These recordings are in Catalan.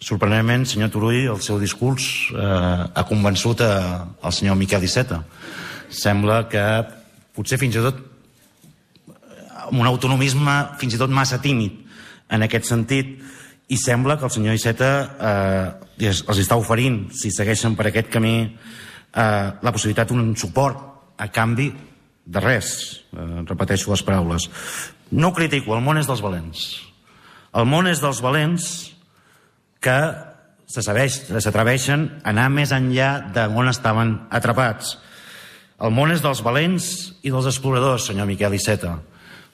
Sorprenentment, senyor Turull, el seu discurs ha convençut el senyor Miquel Iceta. Sembla que potser fins i tot amb un autonomisme fins i tot massa tímid en aquest sentit, i sembla que el senyor Iceta els està oferint, si segueixen per aquest camí, la possibilitat d'un suport a canvi de res. Repeteixo les paraules. No ho critico, el món és dels valents. El món és dels valents que s'atreveixen a anar més enllà d'on estaven atrapats. El món és dels valents i dels exploradors, senyor Miquel Iceta.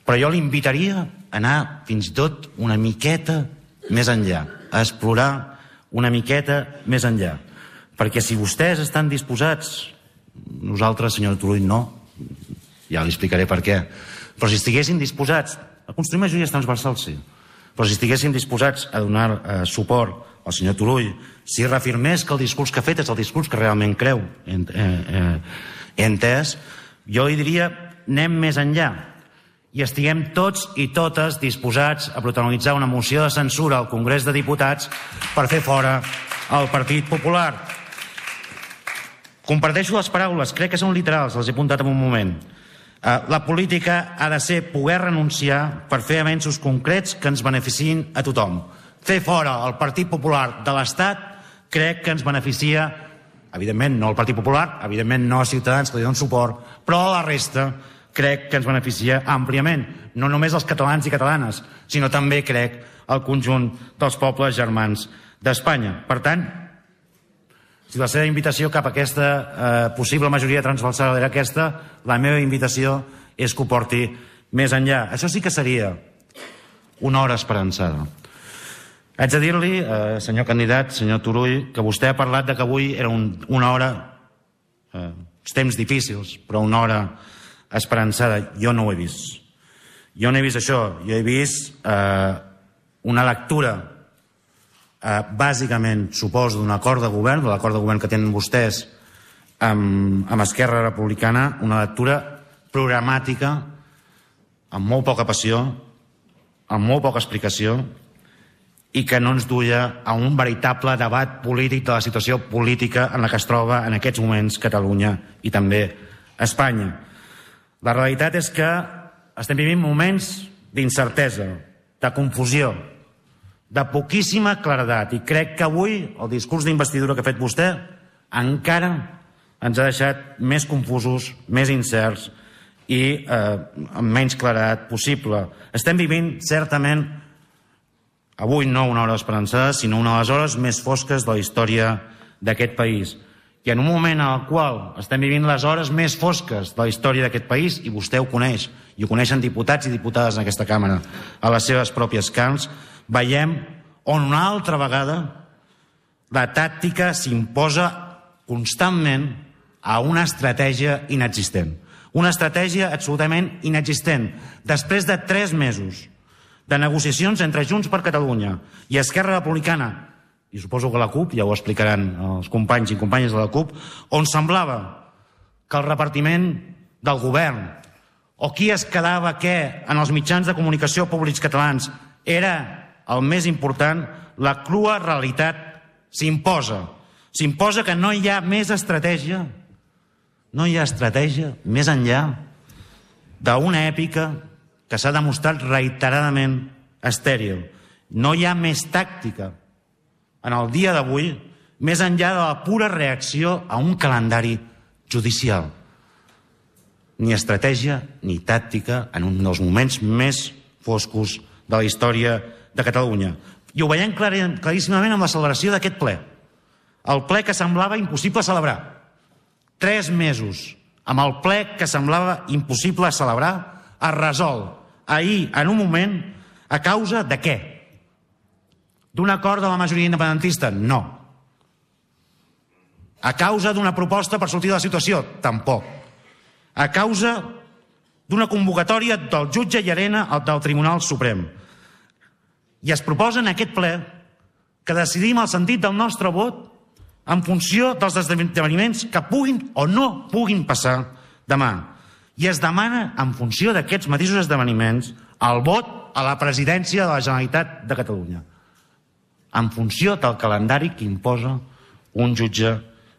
Però jo l'invitaria a anar fins i tot una miqueta més enllà, a explorar una miqueta més enllà. Perquè si vostès estan disposats, nosaltres, senyor Turull, no, ja li explicaré per què, però si estiguessin disposats a construir majories transversals, sí, però si estiguessin disposats a donar suport al senyor Turull, si reafirmés que el discurs que ha fet és el discurs que realment creu, he entès, jo li diria anem més enllà i estiguem tots i totes disposats a protagonitzar una moció de censura al Congrés de Diputats per fer fora el Partit Popular. Comparteixo les paraules, crec que són literals, les he apuntat en un moment. La política ha de ser poder renunciar per fer avenços concrets que ens beneficiïn a tothom. Fer fora el Partit Popular de l'Estat crec que ens beneficia, evidentment no al Partit Popular, evidentment no a Ciutadans que li donen suport, però a la resta crec que ens beneficia àmpliament, no només als catalans i catalanes, sinó també crec al conjunt dels pobles germans d'Espanya. Per tant, si la seva invitació cap a aquesta possible majoria transversal era aquesta, la meva invitació és que ho porti més enllà. Això sí que seria una hora esperançada. Haig de dir-li, senyor candidat, senyor Turull, que vostè ha parlat de que avui era una hora, temps difícils, però una hora esperançada. Jo no ho he vist. Jo no he vist això. Jo he vist una lectura bàsicament, suposo, d'un acord de govern, de l'acord de govern que tenen vostès amb Esquerra Republicana, una lectura programàtica amb molt poca passió, amb molt poca explicació, i que no ens duia a un veritable debat polític de la situació política en la que es troba en aquests moments Catalunya i també Espanya. La realitat és que estem vivint moments d'incertesa, de confusió, de poquíssima claredat, i crec que avui el discurs d'investidura que ha fet vostè encara ens ha deixat més confusos, més incerts i amb menys claredat possible. Estem vivint certament avui no una hora esperançada, sinó una de les hores més fosques de la història d'aquest país. I en un moment en el qual estem vivint les hores més fosques de la història d'aquest país, i vostè ho coneix, i ho coneixen diputats i diputades en aquesta càmera a les seves pròpies carns, veiem on una altra vegada la tàctica s'imposa constantment a una estratègia inexistent. Una estratègia absolutament inexistent. Després de 3 mesos de negociacions entre Junts per Catalunya i Esquerra Republicana, i suposo que la CUP, ja ho explicaran els companys i companyes de la CUP, on semblava que el repartiment del govern o qui es quedava què en els mitjans de comunicació públics catalans era el més important, la crua realitat s'imposa. S'imposa que no hi ha més estratègia, no hi ha estratègia més enllà d'una èpica que s'ha demostrat reiteradament estèril. No hi ha més tàctica en el dia d'avui, més enllà de la pura reacció a un calendari judicial. Ni estratègia ni tàctica en un dels moments més foscos de la història de Catalunya. I ho veiem claríssimament amb la celebració d'aquest ple. El ple que semblava impossible celebrar. 3 mesos amb el ple que semblava impossible celebrar es resol ahir, en un moment, a causa de què? D'un acord de la majoria independentista? No. A causa d'una proposta per sortir de la situació? Tampoc. A causa d'una convocatòria del jutge Llarena del Tribunal Suprem. I es proposa en aquest ple que decidim el sentit del nostre vot en funció dels esdeveniments que puguin o no puguin passar demà. I es demana, en funció d'aquests mateixos esdeveniments, el vot a la presidència de la Generalitat de Catalunya. en funció del calendari que imposa un jutge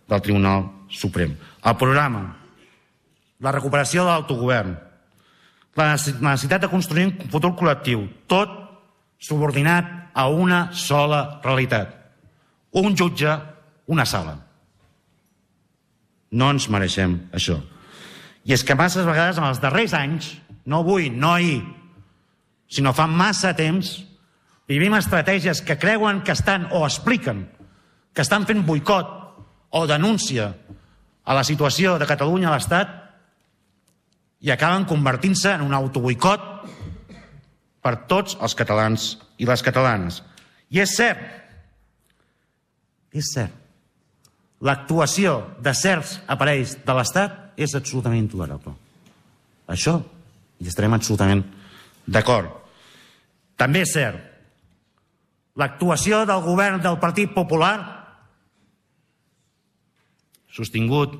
del Tribunal Suprem. El programa, la recuperació de l'autogovern, la necessitat de construir un futur col·lectiu, tot subordinat a una sola realitat. Un jutge, una sala. No ens mereixem això. I és que masses vegades en els darrers anys, no avui, no ahir, sinó fa massa temps, vivim estratègies que creuen que estan o expliquen que estan fent boicot o denúncia a la situació de Catalunya a l'Estat i acaben convertint-se en un autoboicot per tots els catalans i les catalanes. I és cert, l'actuació de certs aparells de l'Estat és absolutament intolerable. Això hi estarem absolutament d'acord. També és cert, l'actuació del govern del Partit Popular, sostingut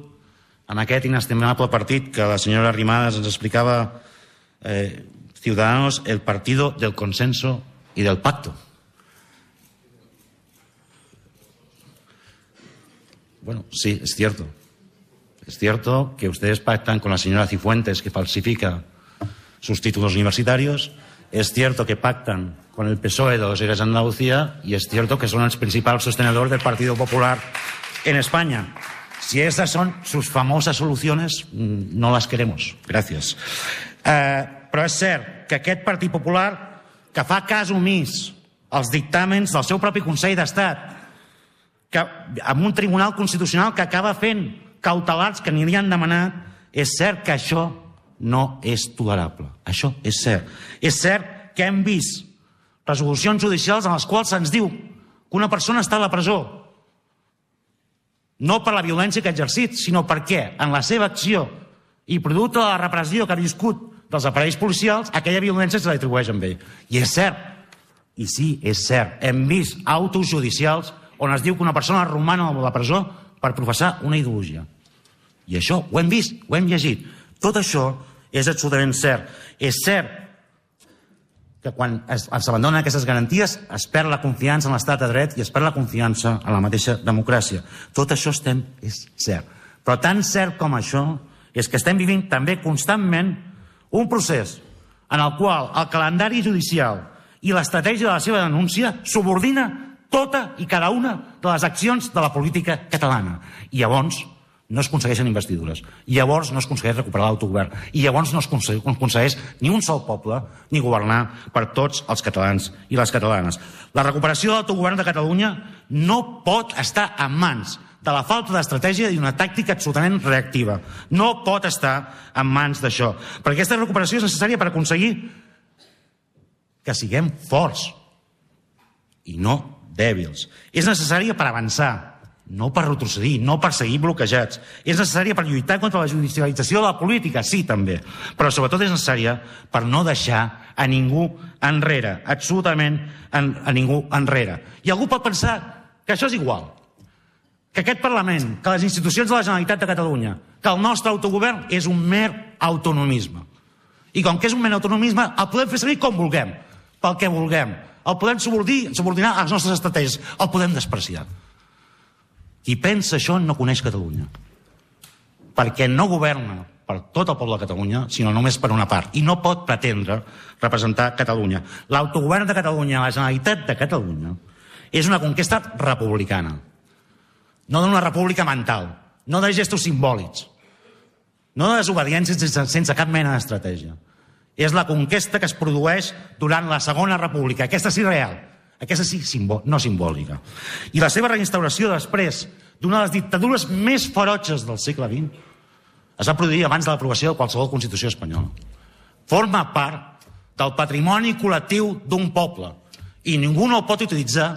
en aquest inestimable partit que la senyora Arrimadas ens explicava, Ciudadanos, el partido del consenso y del pacto. Bueno, sí, es cierto. Es cierto que ustedes pactan con la señora Cifuentes, que falsifica sus títulos universitarios. Es cierto que pactan con el PSOE de los Eres de Andalucía y es cierto que son los principales sostenedores del Partido Popular en España. Si esas son sus famosas soluciones, no las queremos. Gracias. Però és cert que aquest Partit Popular, que fa cas omís als dictàmens del seu propi Consell d'Estat, que amb un Tribunal Constitucional que acaba fent cautelars que ni li han demanat, és cert que això no és tolerable. Això és cert. És cert que hem vist resolucions judicials en les quals se'ns diu que una persona està a la presó no per la violència que ha exercit, sinó perquè en la seva acció i producte de la repressió que ha viscut dels aparells policials, aquella violència se l'atribueix amb ell. I és cert, i sí, és cert, hem vist autos judicials on es diu que una persona romana a la presó per professar una ideologia. I això ho hem vist, ho hem llegit. Tot això és absolutament cert. És cert que quan s'abandonen aquestes garanties es perd la confiança en l'estat de dret i es perd la confiança en la mateixa democràcia. Tot això és cert. Però tan cert com això és que estem vivint també constantment un procés en el qual el calendari judicial i l'estratègia de la seva denúncia subordina tota i cada una de les accions de la política catalana. I llavors no es aconsegueixen investidures, i llavors no es aconsegueix recuperar l'autogovern, i llavors no es aconsegueix ni un sol poble ni governar per tots els catalans i les catalanes. La recuperació de l'autogovern de Catalunya no pot estar en mans de la falta d'estratègia i d'una tàctica absolutament reactiva. No pot estar en mans d'això. Perquè aquesta recuperació és necessària per aconseguir que siguem forts i no dèbils. És necessària per avançar, no per retrocedir, no per seguir bloquejats. És necessària per lluitar contra la judicialització de la política, sí, també. Però sobretot és necessària per no deixar a ningú enrere, absolutament a ningú enrere. I algú pot pensar que això és igual, que aquest Parlament, que les institucions de la Generalitat de Catalunya, que el nostre autogovern és un mer autonomisme. I com que és un mer autonomisme, el podem fer servir com vulguem, pel que vulguem. El podem subordinar a les nostres estratègies, el podem despreciar. Qui pensa això no coneix Catalunya, perquè no governa per tot el poble de Catalunya, sinó només per una part, i no pot pretendre representar Catalunya. L'autogovern de Catalunya, la Generalitat de Catalunya, és una conquesta republicana, no d'una república mental, no de gestos simbòlics, no de desobediències sense cap mena d'estratègia. És la conquesta que es produeix durant la Segona República, aquesta sí real, aquesta sí no simbòlica. I la seva reinstauració després d'una de les dictadures més ferotges del segle XX es va produir abans de l'aprovació de qualsevol Constitució espanyola. Forma part del patrimoni col·lectiu d'un poble i ningú no el pot utilitzar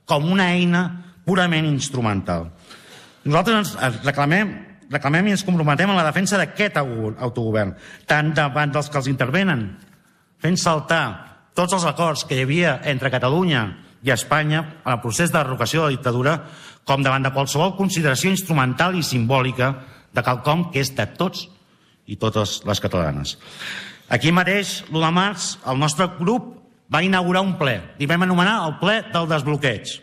com una eina purament instrumental. Nosaltres ens reclamem i ens comprometem en la defensa d'aquest autogovern, tant davant dels que els intervenen, fent saltar tots els acords que hi havia entre Catalunya i Espanya en el procés de derrocació de la dictadura, com davant de qualsevol consideració instrumental i simbòlica de quelcom que és de tots i totes les catalanes. Aquí mateix, l'1 de març, el nostre grup va inaugurar un ple, i vam anomenar el ple del desbloqueig.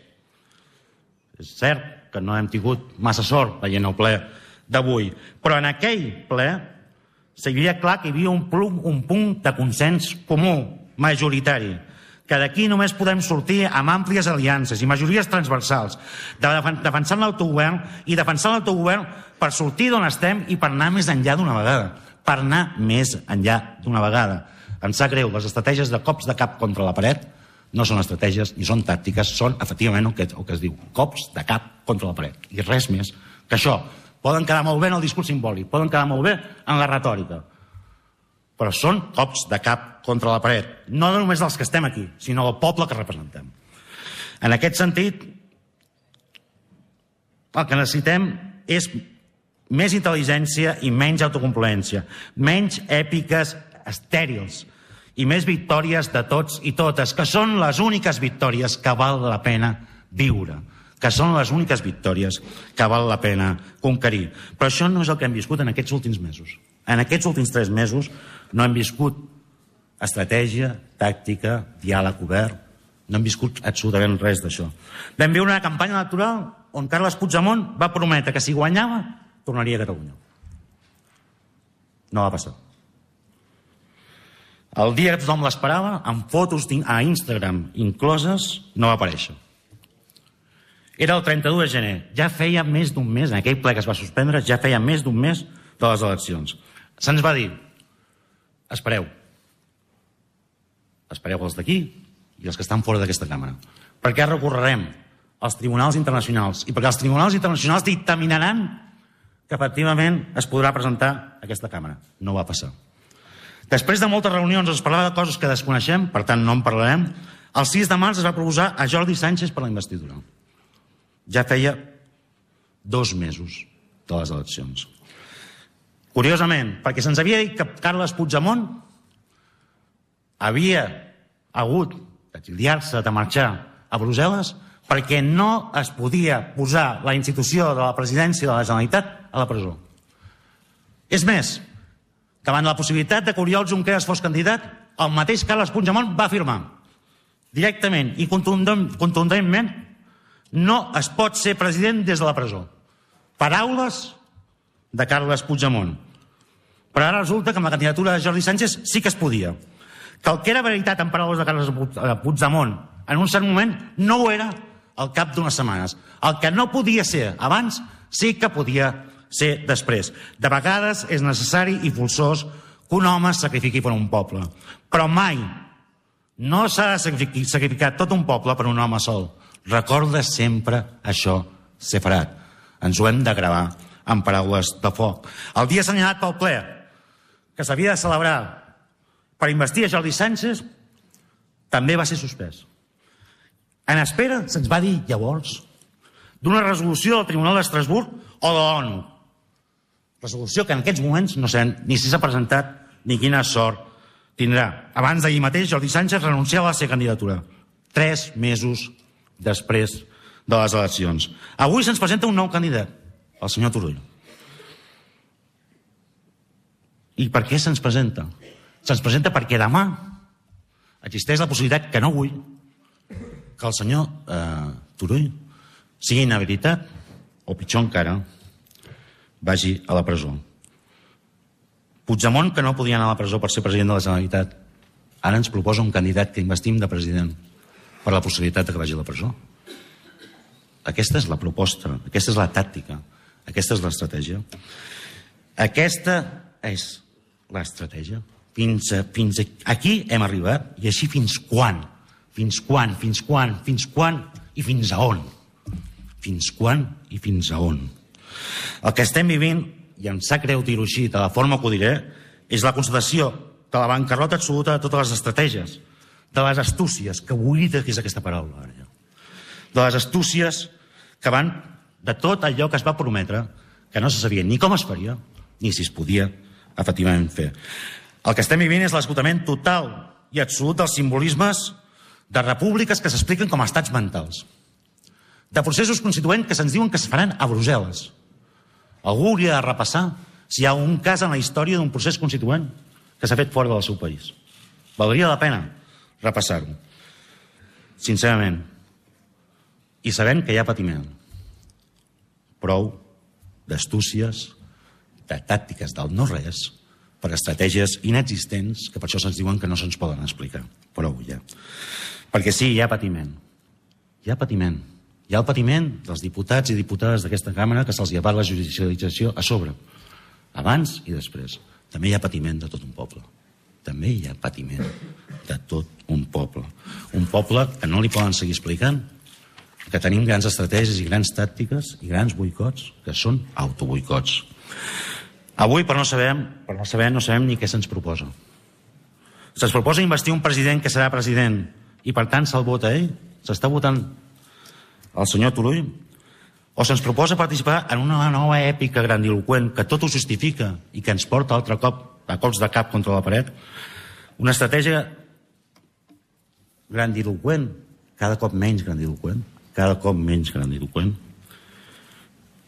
És cert que no hem tingut massa sort veient el ple d'avui, però en aquell ple seria clar que hi havia un punt de consens comú, majoritari, que d'aquí només podem sortir amb àmplies aliances i majories transversals, defensant l'autogovern i defensant l'autogovern per sortir d'on estem i per anar més enllà d'una vegada. Per anar més enllà d'una vegada. Em sap greu, les estratègies de cops de cap contra la paret no són estratègies ni són tàctiques, són efectivament el que es diu, cops de cap contra la paret. I res més que això. Poden quedar molt bé en el discurs simbòlic, poden quedar molt bé en la retòrica, però són cops de cap contra la paret, no només dels que estem aquí, sinó del poble que representem. En aquest sentit, el que necessitem és més intel·ligència i menys autocomplaença, menys èpiques estèrils i més victòries de tots i totes, que són les úniques victòries que val la pena viure, que són les úniques victòries que val la pena conquerir. Però això no és el que hem viscut en aquests últims mesos. En aquests últims 3 mesos no hem viscut estratègia, tàctica, diàleg obert, no hem viscut absolutament res d'això. Vam viure una campanya electoral on Carles Puigdemont va prometre que si guanyava tornaria a Catalunya. No va passar. El dia que tothom l'esperava, amb fotos a Instagram incloses, no va aparèixer. Era el 31 de gener. Ja feia més d'un mes, en aquell ple que es va suspendre, ja feia més d'un mes de les eleccions. Se'ns va dir, espereu els d'aquí i els que estan fora d'aquesta càmera, perquè recorrerem als tribunals internacionals i perquè els tribunals internacionals dictaminaran que efectivament es podrà presentar aquesta càmera. No va passar. Després de moltes reunions es parlava de coses que desconeixem, per tant no en parlarem. El 6 de març es va proposar a Jordi Sánchez per la investidura. Ja feia 2 mesos de les eleccions. Curiosament, perquè se'ns havia dit que Carles Puigdemont havia hagut d'exiliar-se, de marxar a Brussel·les, perquè no es podia posar la institució de la presidència de la Generalitat a la presó. És més, davant la possibilitat de que Oriol Junqueras fos candidat, el mateix Carles Puigdemont va afirmar directament i contundentment: no es pot ser president des de la presó. Paraules de Carles Puigdemont. Però ara resulta que amb la candidatura de Jordi Sánchez sí que es podia. Que el que era veritat en paraules de Carles Puigdemont en un cert moment no ho era al cap d'unes setmanes. El que no podia ser abans sí que podia ser després. De vegades és necessari i forçós que un home es sacrifiqui per un poble. Però mai no s'ha de sacrificar tot un poble per un home sol. Recorda sempre això, Seferat. Ens ho hem de gravar amb paraules de foc. El dia assenyalat pel ple, que s'havia de celebrar per investir a Jordi Sánchez, també va ser suspès. En espera, se'ns va dir llavors, d'una resolució del Tribunal d'Estrasburg o de l'ONU. Resolució que en aquests moments no sabem ni si s'ha presentat ni quina sort tindrà. Abans d'ahir mateix, Jordi Sánchez renunciava a la seva candidatura. 3 mesos després de les eleccions. Avui se'ns presenta un nou candidat, el senyor Turull. I per què se'ns presenta? Se'ns presenta perquè demà existeix la possibilitat, que no vull, que el senyor Turull sigui inhabilitat o, pitjor encara, vagi a la presó. Puigdemont, que no podia anar a la presó per ser president de la Generalitat, ara ens proposa un candidat que investim de president per la possibilitat de que vagi a la presó. Aquesta és la proposta, aquesta és la tàctica, aquesta és l'estratègia. Aquesta és l'estratègia. Fins aquí hem arribat, i així fins quan? Fins quan? Fins quan? Fins quan? I fins a on? Fins quan i fins a on? El que estem vivint, i em sap greu dir-ho així, de la forma que ho diré, és la constatació de la bancarrota absoluta de totes les estratègies, de les astúcies, que oblida que és aquesta paraula ara ja, de les astúcies que van de tot allò que es va prometre, que no se sabia ni com es faria, ni si es podia efectivament fer. El que estem vivint és l'esgotament total i absolut dels simbolismes de repúbliques que s'expliquen com a estats mentals, de processos constituents que se'ns diuen que es faran a Brussel·les. Algú hauria de repassar si hi ha un cas en la història d'un procés constituent que s'ha fet fora del seu país. Valdria la pena repassar-ho, sincerament. I sabent que hi ha patiment. prou d'astúcies, de tàctiques del no-res, per estratègies inexistents que per això se'ns diuen que no se'ns poden explicar. Prou ja. Perquè sí, hi ha patiment. Hi ha patiment. Hi ha el patiment dels diputats i diputades d'aquesta càmera que se'ls llevat la judicialització a sobre, abans i després. També hi ha patiment de tot un poble. També hi ha patiment de tot un poble. Un poble que no li poden seguir explicant que tenim grans estratègies i grans tàctiques i grans boicots que són autoboicots. Avui, per no saber, no sabem ni què se'ns proposa. Se'ns proposa investir un president que serà president i, per tant, se'l vota ell? S'està votant el senyor Turull? O se'ns proposa participar en una nova èpica grandiloqüent que tot ho justifica i que ens porta altre cop a cops de cap contra la paret? Una estratègia grandiloqüent, cada cop menys grandiloqüent,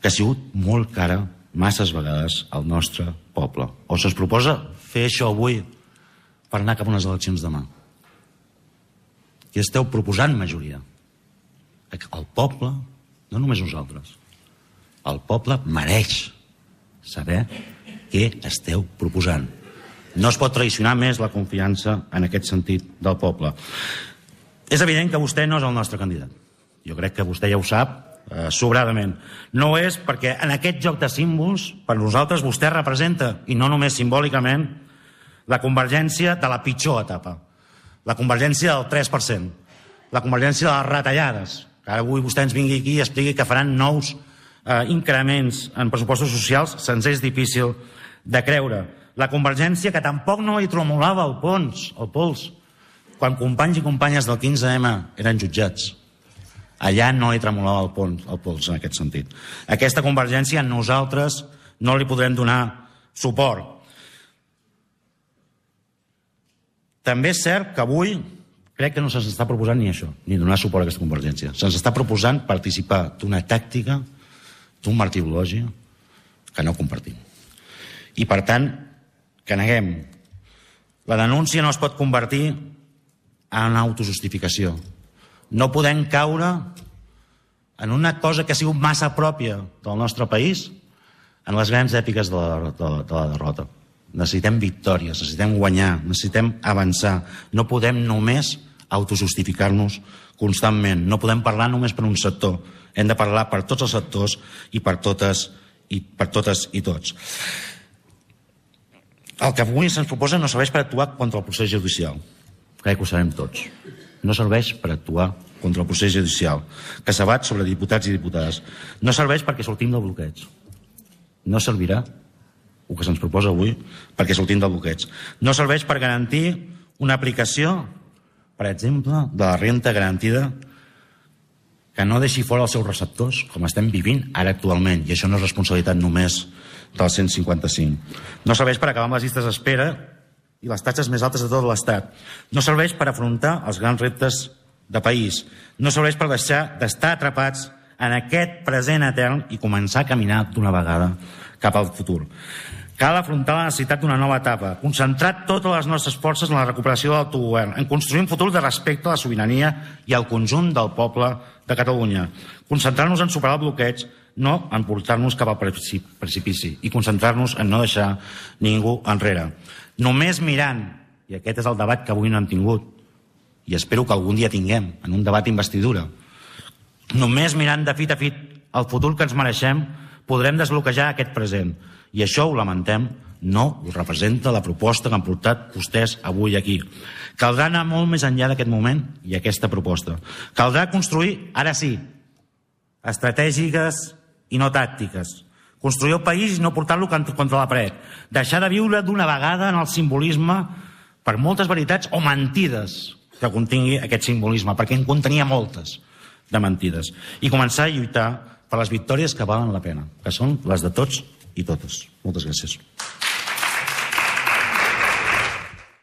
que ha sigut molt cara masses vegades al nostre poble. O se'ns proposa fer això avui per anar cap a unes eleccions demà. Què esteu proposant, majoria? El poble, no només nosaltres, el poble mereix saber què esteu proposant. No es pot traicionar més la confiança en aquest sentit del poble. És evident que vostè no és el nostre candidat. Jo crec que vostè ja ho sap sobradament. No ho és perquè en aquest joc de símbols, per nosaltres vostè representa, i no només simbòlicament, la convergència de la pitjor etapa. La convergència del 3%. La convergència de les retallades. Que ara avui vostè ens vingui aquí i expliqui que faran nous increments en pressupostos socials, se'ns és difícil de creure. La convergència que tampoc no hi tremolava el pols, quan companys i companyes del 15M eren jutjats. Allà no hi tremolava el pols en aquest sentit. Aquesta convergència nosaltres no li podrem donar suport. També és cert que avui crec que no se'ns està proposant ni això, ni donar suport a aquesta convergència. Se'ns està proposant participar d'una tàctica, d'un martirologi que no compartim. I, per tant, que neguem. La denúncia no es pot convertir en autojustificació. No podem caure en una cosa que ha sigut massa pròpia del nostre país, en les grans èpiques de la derrota. Necessitem victòries, necessitem guanyar, necessitem avançar. No podem només autojustificar-nos constantment. No podem parlar només per un sector. Hem de parlar per tots els sectors i per totes i tots. El que avui se'ns proposa no serveix per actuar contra el procés judicial. Crec que ho sabem tots. No serveix per actuar contra el procés judicial, que s'abat sobre diputats i diputades. No serveix perquè sortim del bloqueig. No servirà el que se'ns proposa avui perquè sortim del bloqueig. No serveix per garantir una aplicació, per exemple, de la renda garantida que no deixi fora els seus receptors, com estem vivint ara actualment, i això no és responsabilitat només del 155. No serveix per acabar amb les llistes d'espera i les taxes més altes de tot l'Estat. No serveix per afrontar els grans reptes de país. No serveix per deixar d'estar atrapats en aquest present etern i començar a caminar d'una vegada cap al futur. Cal afrontar la necessitat d'una nova etapa, concentrar totes les nostres forces en la recuperació de l'autogovern, en construir un futur de respecte a la sobirania i al conjunt del poble de Catalunya. Concentrar-nos en superar el bloqueig, no en portar-nos cap al precipici, i concentrar-nos en no deixar ningú enrere. Només mirant, i aquest és el debat que avui no hem tingut, i espero que algun dia tinguem, en un debat d'investidura, només mirant de fit a fit el futur que ens mereixem, podrem desbloquejar aquest present. I això, ho lamentem, no ho representa la proposta que han portat vostès avui aquí. Caldrà anar molt més enllà d'aquest moment i aquesta proposta. Caldrà construir, ara sí, estratègiques i no tàctiques. Construir el país i no portar-lo contra la paret. Deixar de viure d'una vegada en el simbolisme per moltes veritats o mentides que contingui aquest simbolisme, perquè en contenia moltes de mentides. I començar a lluitar per les victòries que valen la pena, que són les de tots i totes. Moltes gràcies.